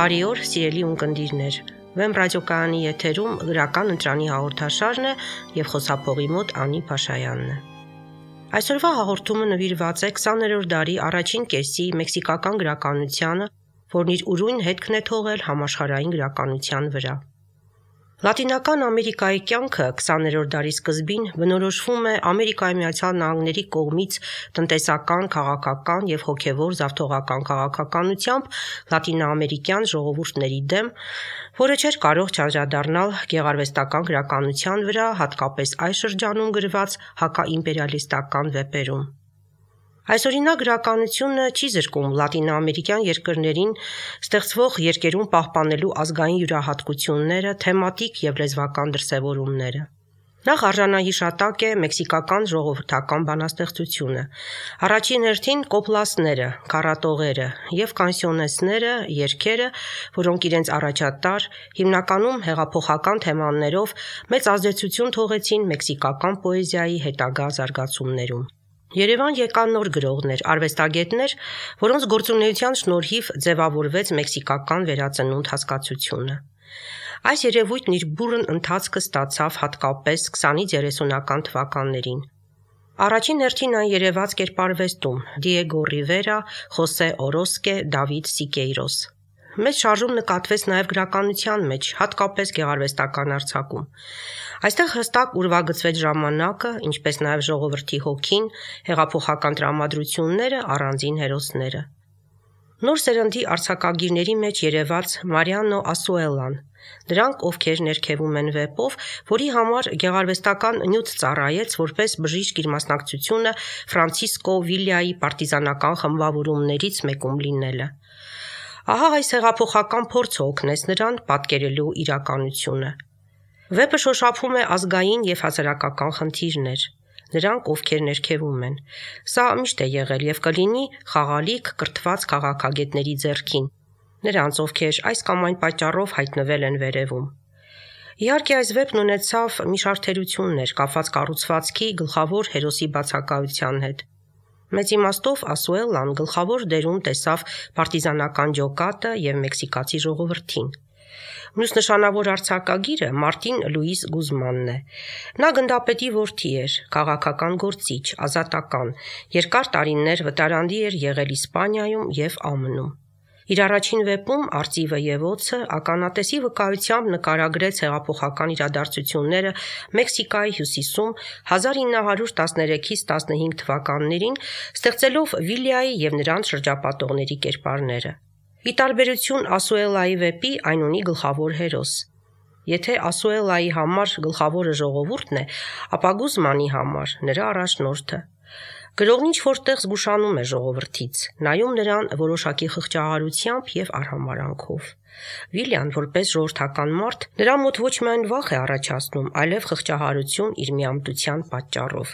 Բարի օր, սիրելի ունկնդիրներ։ Վեմ ռադիոկայանի եթերում գրական ընտրանի հաղորդաշարն է եւ խոսափողի մոտ Անի Փաշայանն է։ Այսօրվա հաղորդումը նվիրված է 20-րդ դարի առաջին կեսի մեքսիկական գրականությանը, որն իր ուրույն հետքն է թողել համաշխարհային գրականության վրա։ Լատինական Ամերիկայի կյանքը 20-րդ դարի սկզբին բնորոշվում է Ամերիկայի Միացյալ Նահանգների կողմից տնտեսական, քաղաքական եւ հոգեվոր զավթողական քաղաքականությամբ լատինաամերիկյան ժողովուրդների դեմ, որը չէր կարող չանդրադառնալ գեղարվեստական գրականության վրա, հատկապես այս շրջանում գրված հակաիմպերիալիստական վեպերում։ Այսօրինակ գրականությունը չի զրկում լատինաամերիկյան երկրներին ստեղծվող երկերում պահպանելու ազգային յուրահատկությունները, թեմատիկ եւ լեզվական դրսևորումները։ Նախ արժանահիշատակ է մեքսիկական ժողովրդական բանաստեղծությունը, առաջին հերթին կոպլասները, քառատողերը եւ կանսիոնեսները, երգերը, որոնք իրենց առաջատար, հիմնականում հեղափոխական թեմաներով մեծ ազդեցություն թողեցին մեքսիկական պոեզիայի հետագա զարգացումներում։ Երևան եկան նոր գրողներ, արվեստագետներ, որոնց գործունեության շնորհիվ ձևավորվեց մեքսիկական վերածնունդ հասկացությունը։ Այս երևույթն իր բուռն ընթացքը ստացավ հատկապես 20-30-ական թվականներին։ Առաջին հերթին այն երևաց կերպարվեստում՝ Դիեգո Ռիվերա, Խոսե Օրոսկե, Դավիթ Սիկեյրոս։ Մեծ շարժում նկատվեց նաև գրականության մեջ, հատկապես գեղարվեստական արձակում։ Այստեղ հստակ ուրվագծվեց ժամանակը, ինչպես նաև ժողովրդի հոգին, հեղափոխական տրամադրությունները, առանձին հերոսները։ Նոր սերնդի արձակագիրների մեջ երևաց Մարիանո Ասուելան, նրանք, ովքեր ներքևում են վեպով, որի համար գեղարվեստական նյութ ծառայեց որպես բժիշկ իր մասնակցությունը Ֆրանցիսկո Վիլյայի պարտիզանական խմբավորումներից մեկում լինելը։ Ահա այս հեղափոխական փորձը օգնեց նրան պատկերելու իրականությունը։ Վեպը շոշափում է ազգային եւ հասարակական խնդիրներ, նրանք, ովքեր ներքևում են։ Սա միշտ է եղել եւ կլինի խաղալիք կրթված քաղաքագետների ձեռքին, նրանց, ովքեր այս կամ այն պատճառով հայտնվել են վերևում։ Իհարկե, այս վեպն ունեցավ մի շարք թերություններ, կապված կառուցվածքի գլխավոր հերոսի բացակայության հետ։ Մեծ իմաստով Ասուելան գլխավոր դերում տեսավ պարտիզանական ջոկատը եւ մեքսիկացի ժողովրդին։ Մյուս նշանավոր արձակագիրը Մարտին Լուիս Գուզմանն է։ Նա գնդապետի որդի էր, քաղաքական գործիչ, ազատական, երկար տարիներ վտարանդի էր եղել Իսպանիայում եւ ԱՄՆ-ում։ Իր առաջին վեպում «Արծիվը եւ օձը» ականատեսի վկայությամբ նկարագրեց հեղափոխական իրադարձությունները Մեքսիկայի հյուսիսում 1913-ից 15 թվականներին, ստեղծելով Վիլյայի եւ նրան շրջապատողների կերպարները։ Ի տարբերություն Ասուելայի վեպի, այն ունի գլխավոր հերոս։ Եթե Ասուելայի համար գլխավորը ժողովուրդն է, ապա Գուզմանի համար նրա առաջնորդը։ Գրողն ինչ-որ տեղ զգուշանում է ժողովրդից, նայում նրան որոշակի խղճահարությամբ եւ արհամարանքով։ Վիլյան, որպես ժողովրդական մարդ, նրա մոտ ոչ միայն վախ է առաջացնում, այլև խղճահարություն իր միամտության պատճառով։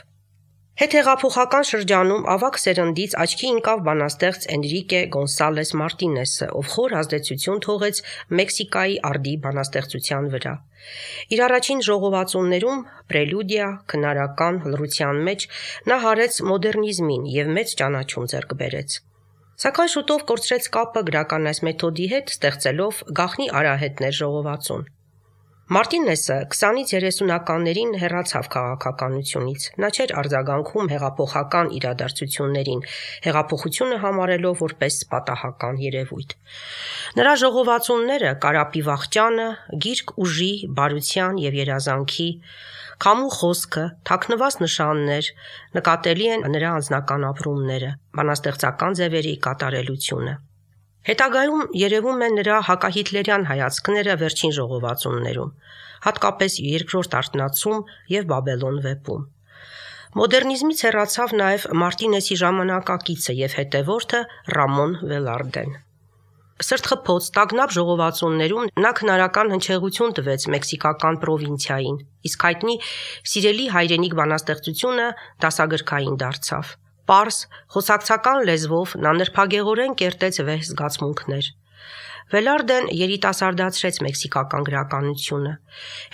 Հետհեղափոխական շրջանում ավագ սերնդից աչքի ընկավ բանաստեղծ Էնրիկե Գոնսալես Մարտինեսը, ով խոր ազդեցություն թողեց Մեքսիկայի արդի բանաստեղծության վրա։ Իր առաջին ժողովածուներում «Պրելյուդիա» քնարական լռության մեջ նա հարեց մոդեռնիզմին եւ մեծ ճանաչում ձեռք բերեց։ Սակայն շուտով կորցրեց կապը գրական այս մեթոդի հետ, ստեղծելով «Գաղտնի արահետներ» ժողովածուն։ Մարտինեսը 20-30-ականներին հեռացավ քաղաքականությունից։ Նա չէր արձագանքում հեղափոխական իրադարձություններին, հեղափոխությունը համարելով որպես պատահական երևույթ։ Նրա ժողովածունները «Կարապի վախճանը», «Գիրք ուժի, բարության եւ երազանքի», «Քամու խոսքը», «Թաքնված նշաններ» նկատելի են նրա անձնական ապրումները, բանաստեղծական ձևերի կատարելությունը։ Հետագայում երևում են նրա հակահիտլերյան հայացքները վերջին ժողովածուններում, հատկապես երկրորդ արթնացում եւ Բաբելոն վեպում։ Մոդեռնիզմից հեռացավ նաև Մարտինեսի ժամանակակիցը եւ հետևորդը Ռամոն Վելարդեն։ Սրտխփոց, տագնապ ժողովածուններում նա քնարական հնչեղություն տվեց մեքսիկական պրովինցիային, իսկ հայտնի «Սիրելի հայրենիք» բանաստեղծությունը դասագրքային դարձավ։ Պարզ, խոսակցական լեզվով նա նրբագեղորեն կերտեց վեհ զգացմունքներ։ Վելարդեն երիտասարդացրեց մեքսիկական գրականությունը։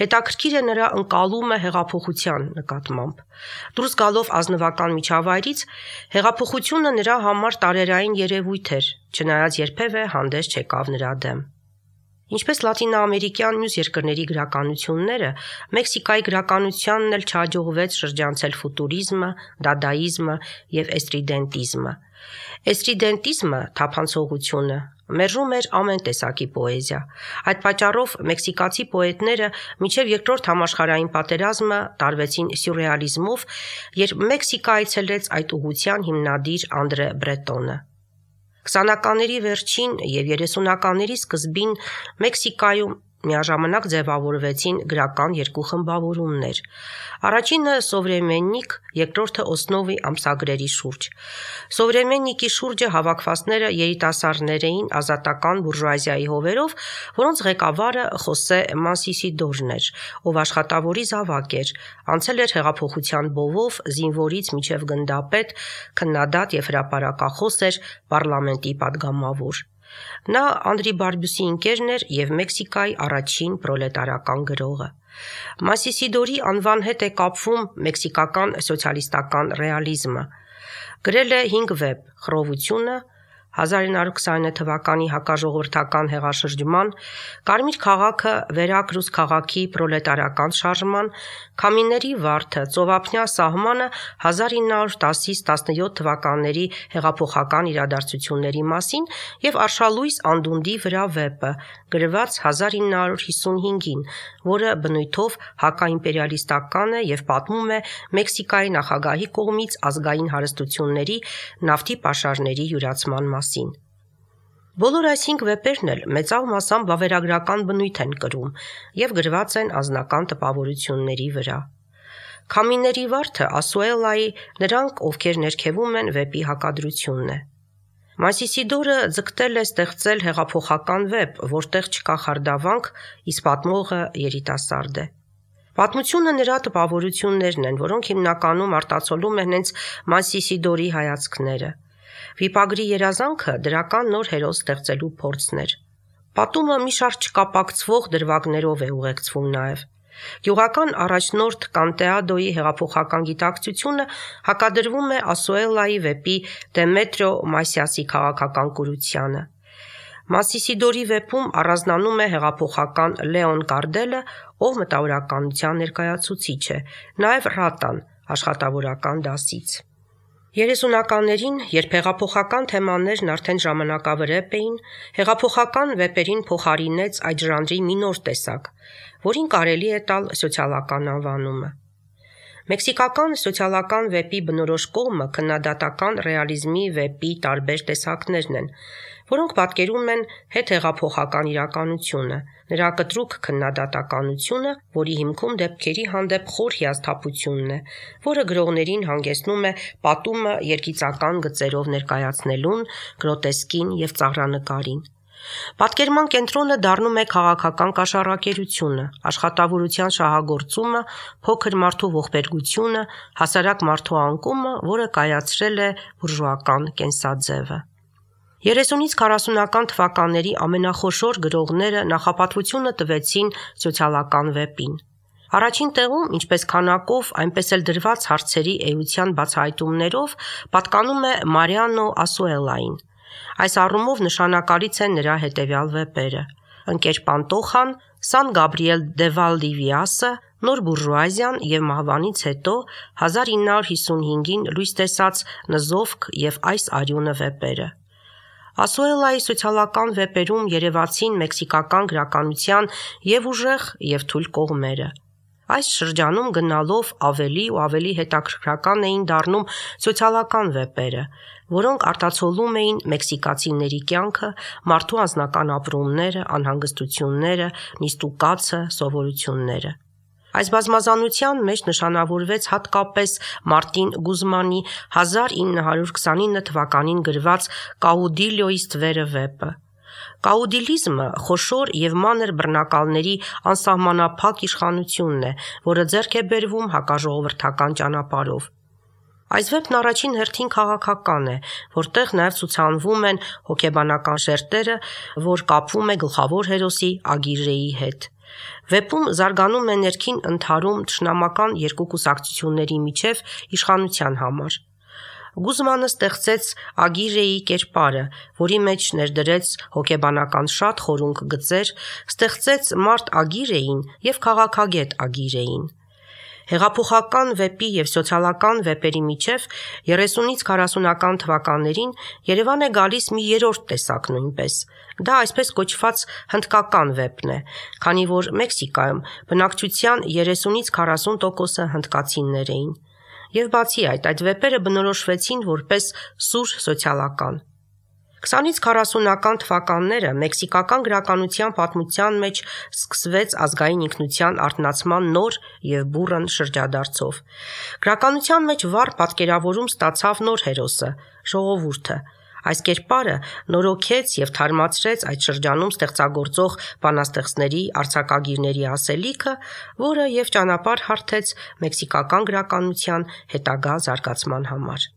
Հետաքրքիր է նրա ընկալումը հեղափոխության նկատմամբ։ Դուրս գալով ազնվական միջավայրից, հեղափոխությունը նրա համար տարերային երևույթ էր, չնայած երբևէ հանդես չեկավ նրա դեմ։ Ինչպես լատինաամերիկյան մյուս երկրների գրականությունները, Մեքսիկայի գրականությանն էլ չհաջողվեց շրջանցել ֆուտուրիզմը, դադայիզմը եւ էստրիդենտիզմը։ Էստրիդենտիզմը թափանցողությունը մերժում էր ամեն տեսակի պոեզիա։ Այդ պատճառով մեքսիկացի պոետները մինչև երկրորդ համաշխարհային պատերազմը տարվեցին սյուրռեալիզմով, երբ Մեքսիկա այցելեց այդ ուղղության հիմնադիր Անդրե Բրետոնը։ 20-ականների վերջին եւ 30-ականների սկզբին Մեքսիկայում միաժամանակ ձևավորվեցին գրական երկու խմբավորումներ։ Առաջինը Սովրեմեննիկ, երկրորդը Օսնովի ամսագրերի շուրջ։ Սովրեմեննիկի շուրջը հավաքվածները երիտասարդներ էին ազատական բուրժուազիայի հովերով, որոնց ղեկավարը Խոսե Մանսիսիդորն էր, ով աշխատավորի զավակ էր, անցել էր հեղափոխության բովով, զինվորից մինչև գնդապետ, քննադատ եւ հրապարակախոս էր, պարլամենտի падգամավոր։ Նա Անդրի Բարբյուսի ընկերն էր եւ Մեքսիկայի առաջին պրոլետարական գրողը։ Մանսիսիդորի անվան հետ է կապվում մեքսիկական սոցիալիստական ռեալիզմը։ Գրել է 5 վեպ՝ «Խռովությունը», 1929 թվականի հակաժողովրդական հեղաշրջման, Կարմիր քաղաքը, վերակրուս քաղաքի պրոլետարական շարժման, Քամիների վարդը, Ծովափնյա սահմանը 1910-17 թվականների հեղափոխական իրադարձությունների մասին եւ Արշալույս Անդունդի վրա վեպը, գրված 1955-ին, որը բնույթով հակաիմպերիալիստական է եւ պատմում է Մեքսիկայի նախագահի կողմից ազգային հարստությունների, նավթի պաշարների յուրացման մասին։ Բոլոր այս 5 վեպերն էլ մեծավ մասամբ վավերագրական բնույթ են կրում եւ գրված են անձնական տպավորությունների վրա։ Քամիների վարդը Ասուելայի «Նրանք, ովքեր ներքևում են» վեպի հակադրությունն է։ Մանսիսիդորը ձգտել է ստեղծել հեղափոխական վեպ, որտեղ չկա խարդավանք, իսկ պատմողը երիտասարդ է։ Պատմությունը նրա տպավորություններն են, որոնք հիմնականում արտացոլում են հենց Մանսիսիդորի հայացքները։ Վիպագրի երազանքը դրական նոր հերոս ստեղծելու փորձն էր։ Պատումը մի շարք չկապակցվող դրվագներով է ուղեկցվում նաև։ Գյուղական առաջնորդ Կանտեադոյի հեղափոխական գիտակցությունը հակադրվում է Ասուելայի վեպի Դեմետրիո Մասիասի քաղաքական կուրությանը։ Մանսիսիդորի վեպում առանձնանում է հեղափոխական Լեոն Կարդելը, ով մտավորականության ներկայացուցիչ է, նաև Ռատան աշխատավորական դասից։ 30-ականներին, երբ հեղափոխական թեմաներն արդեն ժամանակավրեպ էին, հեղափոխական վեպերին փոխարինեց այդ ժանրի մի նոր տեսակ, որին կարելի է տալ սոցիալական անվանումը։ Մեքսիկական սոցիալական վեպի բնորոշ կողմը քննադատական ռեալիզմի վեպի տարբեր տեսակներն են, որոնք պատկերում են հետհեղափոխական իրականությունը, նրա կտրուկ քննադատականությունը, որի հիմքում դեպքերի հանդեպ խոր հիասթափությունն է, որը գրողներին հանգեցնում է պատումը երգիծական գծերով ներկայացնելուն, գրոտեսկին եւ ծաղրանկարին։ Պատկերման կենտրոնը դառնում է քաղաքական կաշառակերությունը, աշխատավորության շահագործումը, փոքր մարդու ողբերգությունը, հասարակ մարդու անկումը, որը կայացրել է բուրժուական կենսաձևը։ 30-ից 40-ական թվականների ամենախոշոր գրողները նախապատվությունը տվեցին սոցիալական վեպին։ Առաջին տեղում, ինչպես քանակով, այնպես էլ դրված հարցերի էության բացահայտումներով, պատկանում է Մարիանո Ասուելային։ Այս առումով նշանակալից են նրա հետևյալ վեպերը. «Ընկեր Պանտոխան», «Սան Գաբրիել դե Վալդիվիասը», «Նոր բուրժուազիան» եւ մահվանից հետո 1955-ին լույս տեսած «Նզովք» եւ «Այս արյունը» վեպերը։ Ասուելայի սոցիալական վեպերում երևացին մեքսիկական գրականության եւ ուժեղ եւ թույլ կողմերը։ Այս շրջանում գնալով ավելի ու ավելի հետաքրքրական էին դառնում սոցիալական վեպերը, որոնք արտացոլում էին մեքսիկացիների կյանքը, մարդու անձնական ապրումները, անհանգստությունները, նիստուկացը, սովորությունները։ Այս բազմազանության մեջ նշանավորվեց հատկապես Մարտին Գուզմանի 1929 թվականին գրված «Կաուդիլյոյի ստվերը» վեպը։ Կաուդիլիզմը խոշոր եւ մանր բռնակալների անսահմանափակ իշխանությունն է, որը ձեռք է բերվում հակաժողովրդական ճանապարհով։ Այս վեպն առաջին հերթին քաղաքական է, որտեղ նաև ցուցանվում են հոգեբանական շերտերը, որ կապվում է գլխավոր հերոսի Ագիրեի հետ։ Վեպում զարգանում է ներքին ընդհարում թշնամական երկու կուսակցությունների միջև իշխանության համար։ Գուզմանը ստեղծեց Ագիրեի կերպարը, որի մեջ ներդրեց հոգեբանական շատ խորունկ գծեր, ստեղծեց մարդ Ագիրեին և քաղաքագետ Ագիրեին։ Հեղափոխական վեպի և սոցիալական վեպերի միջև 30-ից 40-ական թվականներին Երևան է գալիս մի երրորդ տեսակ նույնպես։ Դա այսպես կոչված հնդկական վեպն է, քանի որ Մեքսիկայում բնակչության 30-ից 40%-ը հնդկացիներ էին։ Եվ բացի այդ վեպերը բնորոշվեցին որպես սուր սոցիալական։ 20-ից 40-ական թվականները մեքսիկական գրականության պատմության մեջ սկսվեց ազգային ինքնության արթնացման նոր և բուռն շրջադարձով։ Գրականության մեջ վառ պատկերավորում ստացավ նոր հերոսը՝ ժողովուրդը։ Այս կերպարը նորոգեց և թարմացրեց այդ շրջանում ստեղծագործող բանաստեղծների, արձակագիրների ասելիքը, որը և ճանապարհ հարթեց մեքսիկական գրականության հետագա զարգացման համար։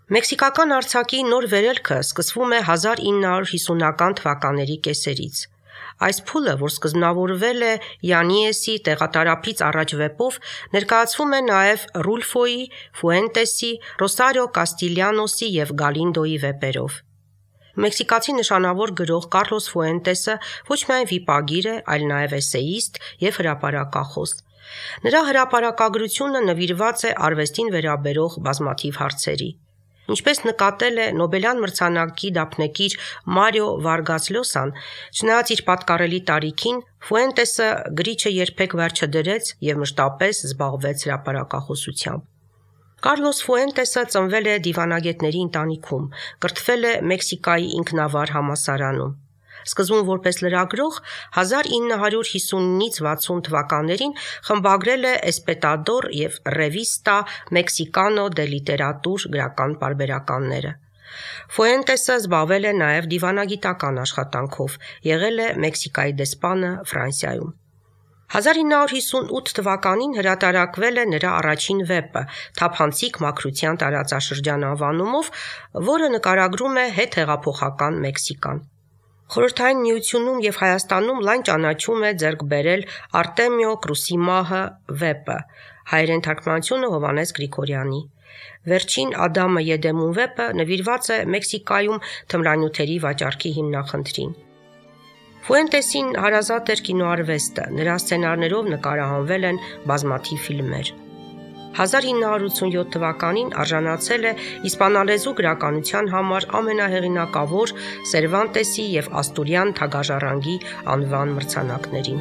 Մեքսիկական արձակի նոր վերելքը սկսվում է 1950-ական թվականների կեսերից։ Այս փուլը, որ սկզբնավորվել է Յանիեսի տեղատարափից առաջ վեպով, ներկայացվում է նաև Ռուլֆոյի, Ֆուենտեսի, Ռոսարիո Կաստիլյանոսի և Գալինդոյի վեպերով։ Մեքսիկացի նշանավոր գրող Կառլոս Ֆուենտեսը ոչ միայն վիպագիր է, այլ նաև էսեիստ և հրապարակախոս։ Նրա հրապարակագրությունը նվիրված է արվեստին վերաբերող բազմաթիվ հարցերի։ Ինչպես նկատել է Նոբելյան մրցանակի դափնեկիր Մարիո Վարգաս Լյոսան, չնայած իր պատկառելի տարիքին, Ֆուենտեսը գրիչը երբեք վերջ չդրեց և մշտապես զբաղվեց հրապարակախոսությամբ։ Կառլոս Ֆուենտեսը ծնվել է դիվանագետների ընտանիքում, կրթվել է Մեքսիկայի ինքնավար համալսարանում։ Սկզբում որպես լրագրող 1950-ից 60 թվականներին խմբագրել է Էսպետադոր և Ռևիստա Մեքսիկանո դե լիտերատուր գրական պարբերականները։ Ֆուենտեսը զբաղվել է նաև դիվանագիտական աշխատանքով, եղել է Մեքսիկայի դեսպանը Ֆրանսիայում։ 1958 թվականին հրատարակվել է նրա առաջին վեպը «Թափանցիկ մաքրության տարածաշրջան» անվանումով, որը նկարագրում է հետհեղափոխական Մեքսիկան։ Խորհրդային Միությունում և Հայաստանում լայն ճանաչում է ձեռք բերել Արտեմիո Կրուսիմահը վեպը, հայերեն թարգմանությունը Հովհաննես Գրիգորյանի։ Վերջին Ադամը Եդեմում վեպը նվիրված է Մեքսիկայում թմրանյութերի վաճառքի հիմնախնդրին։ Ֆուենտեսին հարազատ էր կինոարվեստը, նրա սցենարներով նկարահանվել են բազմաթիվ ֆիլմեր։ 1987 թվականին արժանացել է իսպանալեզու գրականության համար ամենահեղինակավոր Սերվանտեսի և Աստուրյան թագաժառանգի անվան մրցանակներին։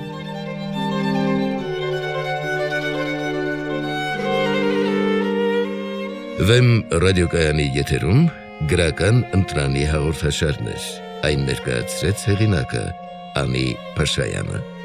Վեմ ռադիոկայանի եթերում գրական ընտրանի հաղորդաշարներ։ Այն ներկայացրեց հեղինակը Անի Փաշայանը։